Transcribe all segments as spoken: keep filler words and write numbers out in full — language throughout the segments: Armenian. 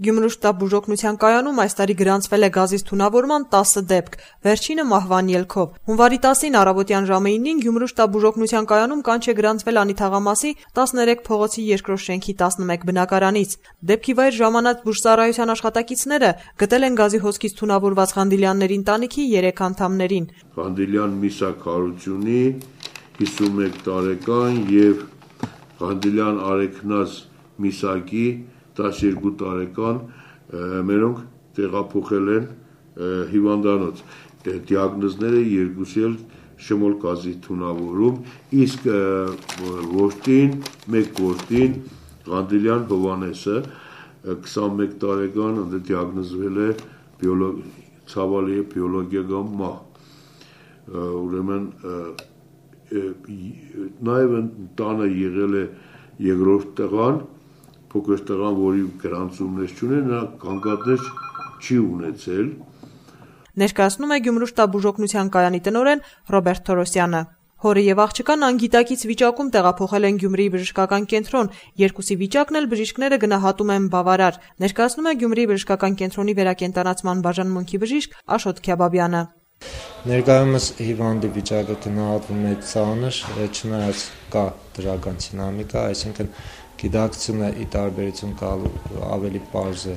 Գյումրու շտաբ բուժօգնության կայանում այս տարի գրանցվել է գազից թունավորման տասը դեպք, վերջինը մահվան ելքով։ Հունվարի տասին առավոտյան ժամը իննին Գյումրու շտաբ բուժօգնության կայանում կանչ է գրանցվել Անիթաղամասի տասներեք փողոցի երկրորդ շենքի տասնմեկ բնակարանից։ Դեպքի վայր ժամանած բուժծառայության աշխատակիցները գտել են գազի հոսքից թունավորված Ղանդիլյանների ընտանիքի երեք անդամներին։ Ղանդիլյան Միսակ Հարությունի հիսունմեկ տարեկան եւ Ղանդիլյան Արեքնազ Միսակի տասներկու տարեկան, մերոնք տեղափոխել են հիվանդանոց։ Դիագնոզները երկուսի էլ շմոլ գազի թունավորում, իսկ որդին, մեկ որդին Ղանդիլյան Հովանեսը քսանմեկ տարեկան դիագնոզվել է ցավալի բիոլոգիական մահ։ Ուրեմն նաև տանը եղել է երկրորդ տղան, փոքր տղան, որի գրանցումներ չունեն, նա կանգատներ չի ունեցել։ Ներկայացնում է Գյումրու շտաբ բուժօգնության կայանի տնօրեն Ռոբերտ Թորոսյանը։ Հորը եւ աղջկան անգիտակից վիճակում տեղափոխել են Գյումրիի բժշկական կենտրոն, երկուսի վիճակն էլ բժիշկները գնահատում են բավարար, ներկայացնում է Գյումրիի բժշկական կենտրոնի վերակենդանացման բաժանմունքի բժիշկ Աշոտ Քյաբաբյանը։ Ներկայումս հիվանդի վիճակը գնահատվում է ծանր, չնայած կա դրական դինամիկա, այսինքն գիտակցությունը ի տարբերություն կալու ավելի պարզ է։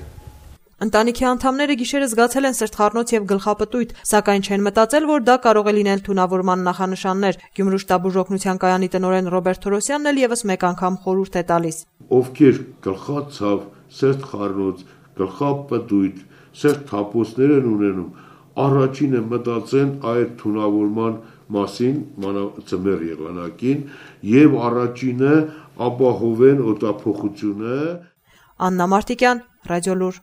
Ընտանիքի անդամները գիշերը զգացել են սրտխառնոց եւ գլխապտույտ, սակայն չեն մտածել, որ դա կարող է լինել թունավորման նախանշաններ։ Գյումրու շտաբ բուժօգնության կայանի տնօրեն Ռոբերտ Թորոսյանն էլ եւս մեկ անգամ խորհուրդ է տալիս։ Ովքեր գլխացավ, սրտխառնոց, գլխապտույտ, սրտթափոցներ են ունենում, առաջինը մտածեն այդ թունավորման մասին, մանրածմեր եղանակին, եւ առաջինը ապահովեն օդափոխությունը։ Աննա Մարտիկյան, Ռադիոլուր։